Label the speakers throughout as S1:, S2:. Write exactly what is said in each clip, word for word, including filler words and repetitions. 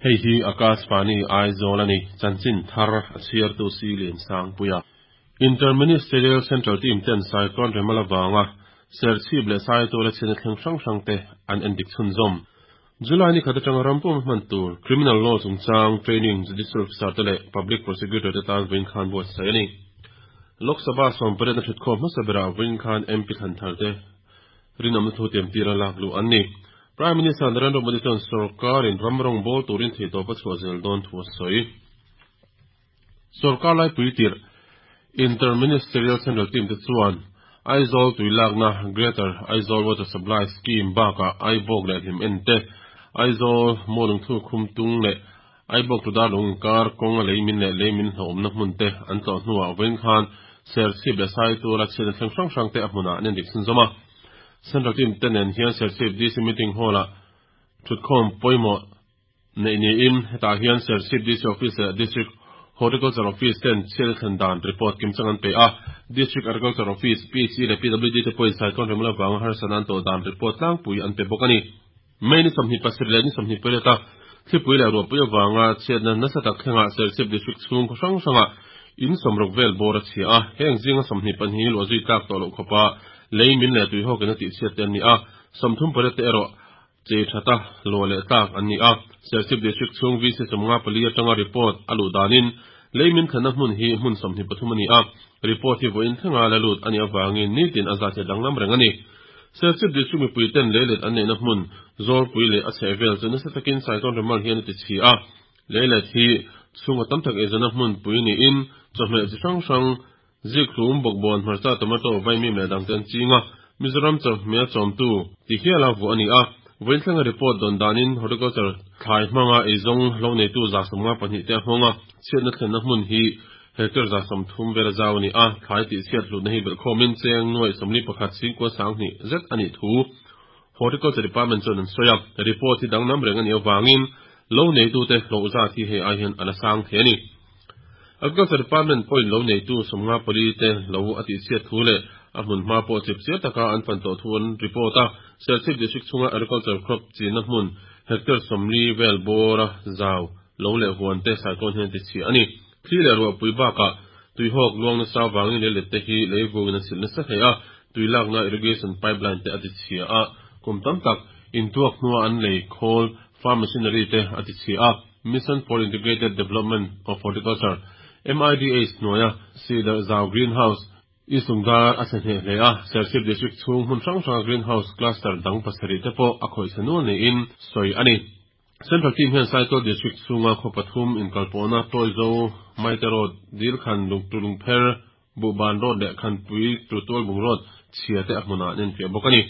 S1: Hei hi Akashvani Aizawl a ni, chanchin thar a chhiartu si Liansangpuia. Inter-Ministerial Central Team ten Cyclone Remal avanga Serchhip leh Saitual a chhiatna thleng hrang hrang te an endik chhunzawm. July ni khat atanga ram pawm hman tur Criminal Law chungchang Training Judicial Officer te leh Public Prosecutor te tan vawiin khan buatsaih a ni. Lok Sabha sawmpariatna thutkhawm hmasa berah vawiin khan M P thlan thar te rinawmna thu tiamtir a lak luh an ni. Prime Minister Narendra Modi chuan sorkarin ram rawng bawl turin theihtawp a chhuah zel dawn thu a sawi. Sorkar laipui tirh Inter-Ministerial Central Team te chuan Aizawl tui lakna Greater Aizawl Water Supply Scheme bakah Aibawk leh hlim en te, Aizawl Mualungthu khum tung leh Aibawk tu dar lung inkar kawng a lei min leh lei min hlauhawmna hmun te an tlawh hnuah vawiin khan Serchhip leh Saitual a chhiatna thleng hrang hrang te a hmunah an endik chhunzawm a. Central Team te nen hian Serchhip D C Meeting Hall-ah thutkhawm pawimawh neih niin hetah hian Serchhip D C Office leh District Horticulture Office ten chhiatna thlen dan report kimchang an pe a. District Agriculture Office, P H E leh P W D te pawhin Cyclone Remal avanga harsatna an tawh dan report tlangpui an pe bawk a ni. May ni sawmhnih pasarih leh ni sawmhnih pariat a thlipui leh ruahpui avanga chhiatna nasa tak thlengah Serchhip District chhung khaw hrang hrangah in sawmruk vel bawr a chhia a, heng zinga sawmhnih pahnih luah zui tlak tawh loh khawpa lei min leh tui hawkin a tih chhiat te an ni a, sawmthum pariat te erawh chei thata luah leh tlak an ni a. Serchhip District chhung V C sawmnga pali atanga report a luh danin lei min thlenna hmun hi hmun sawmhnih pathum a ni a, report hi vawiin thlenga la lut a nih avangin nitin a zat hi a danglam reng a ni. Serchhip District mipui ten leilet an neihna hmun Zawlpui leh a chhehvel chu nasa takin Cyclone Remal hian a ti chhi a, leilet hi chhunga tam tak eizawnna hmun pui niin chawhmeh chi hrang hrang zikhlum, bawkbawn, hmarcha, tomato, vaimim leh dang te an ching a, Mizoram chawhmeh chawmtu ti hiala vuah a ni a. Vawiin thlenga report dawn danin Horticulture thlai hmanga eizawng lo neitu za sawmnga pahnih te a nghawng a, chhiatna thlenna hmun hi hectare za sawmthum vel a zau a ni a, thlai tih chhiat hlutna hi belhkhawmin cheng nuaih sawmli pakhat singkua sanghnih zet a nih thu Horticulture Department chuan an sawi a, report hi danglam reng a nih avangin lo neitute hlawh zat hi hei ai hian a la sang thei a ni. Agriculture Department pawhin lo neitu sawmnga pali te lo a tih chhiat thu leh a hmun hma pawh chip chiar taka an fan tawh thu an report a, Serchhip District chhunga Agriculture crop chinna hmun hectare sawmli vel bawra zau lo leh huan te cyclone hian ti chhia a ni. Thli leh ruahpui bakah tuihawk luang nasa avangin leilet te hi leivungin a silh nasa hle a, tui lakna irrigation pipeline te a ti chhia a, kum tam tak intuak hnua an lei khawl farm machinery te a ti chhia a. Mission for Integrated Development of Horticulture, M I D H hnuaia Cedar Zau Greenhouse Isungdar a chhe hneh hle a, Serchhip District chhung hmun hrang hranga Greenhouse Cluster dang pasarih te pawh a khawih chhe nual niin sawi a ni. Central Team hian Saitual District chhunga khaw pathum inkalpawhna Tawizo, Maite Road, Dilkhan, Lungtulungpher, Buhban Road leh Khanpui Tutualbung Road chhia te a hmunah an enfiah bawk a ni.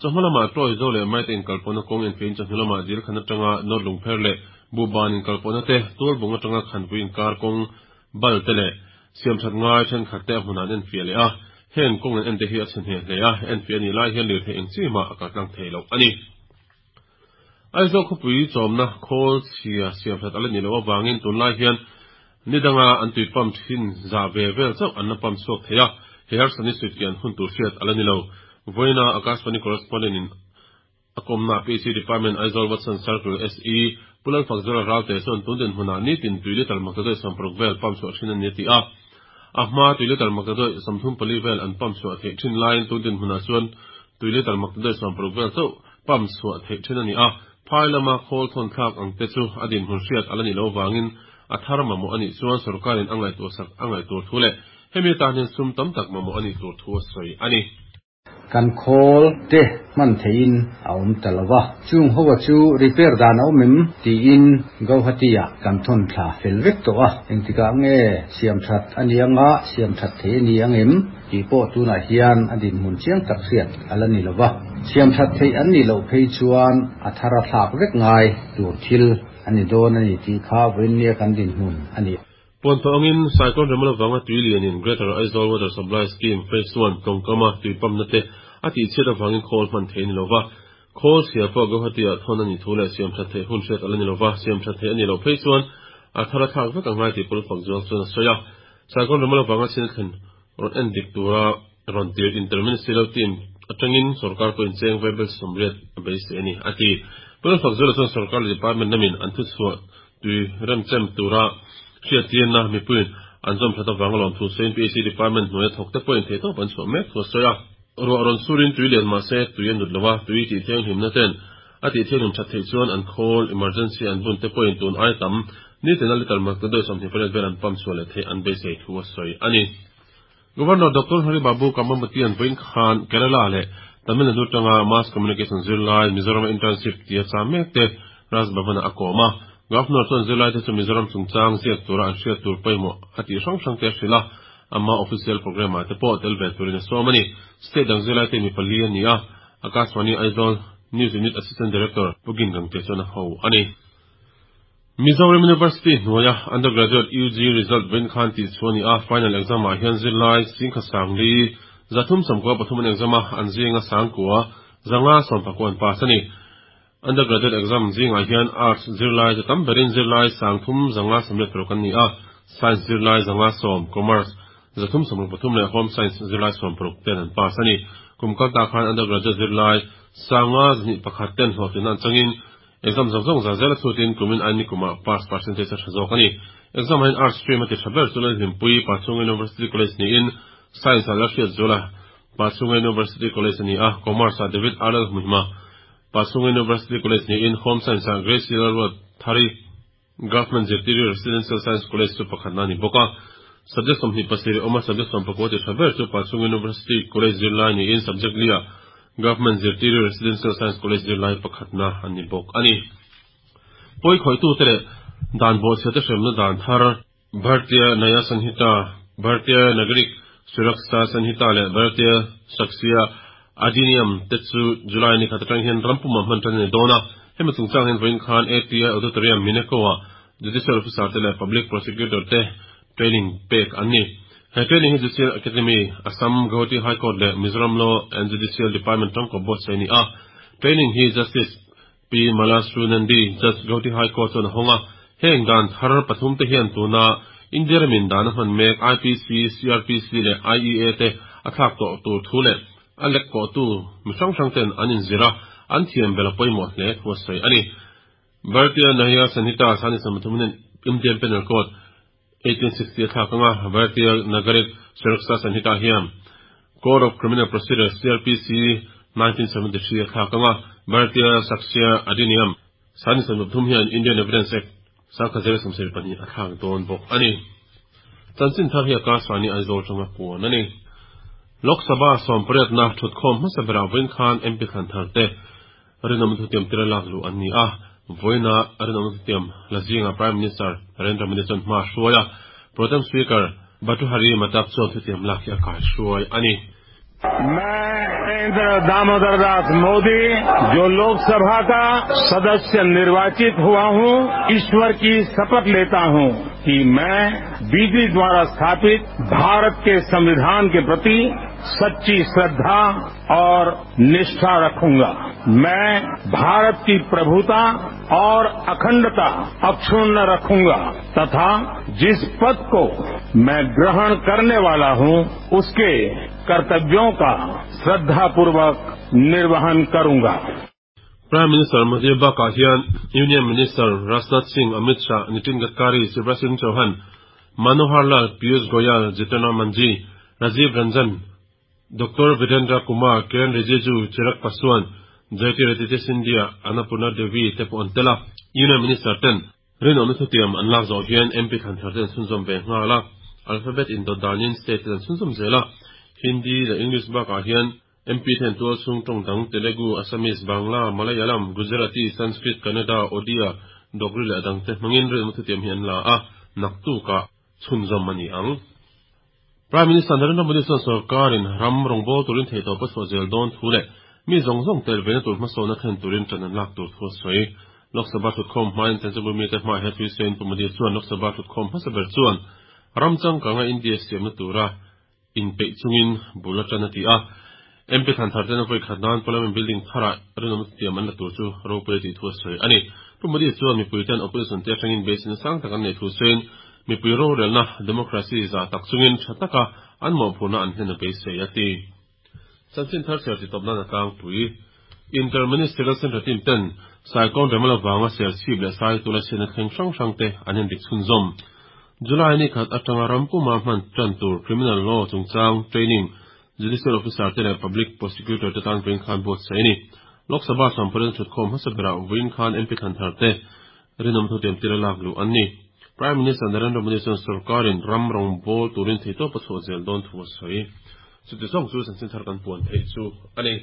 S1: Chawhma lamah Tawizo leh Maite inkalpawhna kawng enfiahin chawhnu lamah Dilkhan atanga North Lungpher leh Buhban inkalpawhna te, Tualbung atanga Khanpui inkar kawng bal te leh siamthat ngai thenkhat te a hmunah an enfiah leh a, heng kawng an ente hi a chhe hneh hle a, enfiah a nih lai hian lirthei eng chi mah a kaltlang thei loh a ni. Aizawl khawpui chawmna khawl chhia siamthat a la nih loh avangin tunlai hian nidanga an tui pump thin za ve vel chauh an la pump chhuak thei a, he harsatni suitkian hun tur hriat a la ni lo. Vawiina Akashvani correspondent in a kawmna P H E Department Aizawl Watson Circle S E Pulan Fakzara Ralte chuan tun dinhmunah nitin tui litre maktaduai sawmparuk vel pump chhuah thin a ni a ti a. A hma tui litre maktaduai sawmthum pali vel an pump chhuah theih thin laiin tun dinhmunah chuan tui litre maktaduai sawmparuk vel chauh pump chhuah theih thin a ni a. Phai lama khawl thawn thlak ang te chu a dinhmun hriat a la nih loh avangin a thar mamawh a nih chuan sorkarin a ngaihtuah sak a ngaih tur thu leh hemi atan hian sum tam tak mamawh a nih tur thu a sawi a ni.
S2: Kan khawl te hman theiin a awm ta lo va, chung hoa chu repair dan a awm em tiin Guwahati ah kan thawn thla fel vek tawh a, engtikah nge siam that a ni anga siam that thei a ni ang em tih pawh tunah hian a dinhmun chiang tak hriat a la ni lo va, siam that theih an nih loh phei chuan a thar a thlak vek ngai tur thil a ni dawn a ni tih kha vawiin kan dinhmun a ni.
S1: Puan tawh angin Cyclone Remal avanga tui lianin Greater Aizawl Water Supply Scheme Phase one tawngkama tui pumpna te a tih chhiat avangin khawl hman thei a ni lo va. Khawl chhia pawh Guwahati ah thawn a nih thu leh siam that theih hun hriat a la ni lo va, siam that theih a nih loh phei chuan a thar a thlak vek angai tih pawl fak zual chuan a sawi a. Cyclone Remal avanga chhiatna thlen rawn en dik tura rawn tir Inter-Ministerial Team atangin sorkar pawhin cheng vaibel sawmriat a beisei a ni a ti. Pu Lalfakzuala chuan sorkar leh department lamin an thuchhuah tui remchem tura hriattirna mipuiin an zawm that avanga lawmthu sawiin P H D department hnuaia thawk te pawhin theihtawp an chhuah mek thu a sawi a. Ruah rawn surin tui lian mahse tui a nut lo a, tui tih thianghlimna ten a tih thianghlim that theih chuan an khawl emergency an bun te pawhin tun ai tam nitina litre maktaduai sawmhnih pariat vel an pump chhuah leh theih an beisei thu a sawi a ni. Governor Doctor Hari Babu Kambhampati-a'n vawiin khan Kerala leh Tamil Nadu atanga Mass Communication zirlai Mizoram internship tia cham mek te Raj Bhavan-ah a kawm a. Governor chuan zirlaite chu Mizoram chungchang ziak tura an hriat tur pawimawh a tih hrang hrang te a hrilh a, ama official programme-ah te pawh tel ve turin a sawm a ni. State dang zirlaite mi pali a ni a, Akashvani Aizawl News Unit Assistant Director Pu Gin Gangte chuan a ho a ni. Mizoram University hnuaia Undergraduate U G result vawiin khan tih chhuah a ni a, final exam ah hian zirlai singkha sangli zathum sawmkua pathum an exam a, an zinga sangkua zanga sawmpakua an pass a ni. Undergraduate exam zingah hian Arts zirlai chu tam berin zirlai sangthum zanga sawmriat paruk an ni a, Science zirlai zanga sawm, Commerce zathum sawmruk pathum leh Home Science zirlai sawm paruk ten an pass a ni. Kum kal ta khan undergraduate zirlai sanga zahnih pakhat ten hlawhtlinna an changin exam zawng zawng za zel a chhutin kumin aini kumah pass percentage a tha zawk a ni. Exam ah hian Arts stream a ti tha ber chu Lalhlimpui Pachhunga University College niin Science ah Lalhriatzuala Pachhunga University College a ni a, Commerce ah David R Lalhmuhima Pachhunga University College niin Home Science ah Gracie Lalruat Thari Government Zirtiri Residential Science College chu pakhatna a ni bawk a. Subject sawmhnih pasarih awma subject sawm pakua ti tha ber chu Pachhunga University College zirlai niin subject li ah Government Zirtiri Residential Science College zirlai pakhatna a ni bawk a ni. Pawi khawihtu te leh dan bawhchhia te hremna dan thar Bharatiya Nyaya Sanhita, Bharatiya Nagarik Suraksha Sanhita leh Bharatiya Sakshya Adhiniyam te chu July ni khat atang hian rampuma hman tan a ni dawn a. Hemi chungchang hian vawiin khan A P I Auditorium Mineco ah Judicial Officer te leh Public Prosecutor te training pek an ni. He training hi Judicial Academy, Assam Guwahati High Court leh Mizoram Law and Judicial Department tangkawp buatsaih a ni a. Training hi Justice P Malashree Nandi, Judge, Guwahati High Court chuan a hawng a. Heng dan thar pathum te hian tuna India ramin dan a hman mek I P C, C R P C leh I E A te a thlak tawh tur thu leh a lek kawh tu mi hrang hrang ten an inzir a, an thiam bel a pawimawh hle thu a sawi a ni. Bharatiya Nyaya Sanhita sangni sawmpathum hian Indian Penal Code eighteen sixty a thlak anga, Bharatiya Nagarik Suraksha Sanhita hian Code of Criminal Procedure, C R P C nineteen seventy-three a thlak anga, Bharatiya Sakshya Adhiniyam sangni sawmpathum hian Indian Evidence Act sangkhat zero sawmsarih pahnih a thlak dawn bawk a ni. Chanchin thar hi Akashvani Aizawl tanga puan a ni. Lok Sabha sawmpariatna thutkhawm hmasa berah vawiin khan M P thlan thar te rinawm thutiam tira lak luh an ni a. Vawiina rinawm thutiam la zinga Prime Minister Narendra Modi chuan hma hruai a, Pro Tem Speaker Bhartruhari Mahtab chuan thutiam lak hi a kai hruai a ni.
S3: मैं नरेंद्र दामोदर दास मोदी, जो लोकसभा का सदस्य निर्वाचित हुआ हूं, ईश्वर की शपथ लेता हूं कि मैं विधि द्वारा स्थापित भारत के संविधान के प्रति सच्ची श्रद्धा और निष्ठा रखूंगा। मैं भारत की प्रभुता और अखंडता अक्षुण्ण रखूंगा तथा जिस पद को मैं ग्रहण करने वाला हूं, उसके कर्तव्यों का श्रद्धापूर्वक निर्वहन करूंगा।
S1: Prime Minister Modi bakah hian Union Minister Rajnath Singh, Amit Shah, Nitin Gadkari, Shivraj Singh Chauhan, Manohar Lal, Piyush Goyal, Jitan Ram Manjhi, Rajiv Ranjan, Doctor Virendra Kumar, Kiren Rijiju, Chirag Paswan, Jyotiraditya Scindia, Annapurna Devi te pawh an tel a. Union Minister ten rinawmna thutiam an lak zawh hian M P thlan thar ten chhunzawm ve nghal a. Alphabet indawt danin state ten an chhunzawm zel a. Hindi leh English bakah hian M P ten tual chhung tawng dang Telugu, Assamese, Bangla, Malayalam, Gujarati, Sanskrit, Kannada, Odia, Dogri leh dang te hmangin rinawmna thutiam hi an la a, naktukah chhunzawm a ni ang. Prime Minister Narendra Modi chuan sarkarin ram rawngbâwl turin theihtawp a chhuah zel dawn thu leh mi zawng zawng tel vena tur hmasawnna thlen turin ṭan an lak tur thu a sawi. Lok Sabha thutkhawm hmain chanchinbu mite hmaah hian thui sawiin Pu Modi chuan Lok Sabha thutkhawm hmasa ber chuan ram changkanga India siamna tura inpeih chungin bul aṭan a ti a. M P thlan thar ten a vawi khat nan Parliament building tharah rinawmna thutiam an la tur chu ropui a tih thu a sawi a ni. Pu Modi chuan mipui ten opposition te atangin beiseina sang tak an nei thu sawiin mipui rorelna democracy za tak chungin tha taka an mawhphurna an hlen a beisei a ti. Chanchin thar chhiar ti tawp nan a tlangpui. Inter-Ministerial Central Team ten Cyclone Remal avanga Serchhip leh Saitual a chhiatna thleng hrang hrang te an endik chhunzawm. July ni khat atanga ram puma hman tan tur Criminal Law chungchang training Judicial Officer te leh Public Prosecutor te tan vawiin khan buatsaih a ni. Lok Sabha sawmpariat thutkhawm hmasa berah vawiin khan M P thlan thar te rinawm thutiam tira lak luh an ni. Prime Minister Narendra Modi chuan sorkarin ram rawngbawl turin theihtawp a chhuah zel dawn thu a sawi. Chuti zawng chu chanchin thar kan puan theih chu a ni.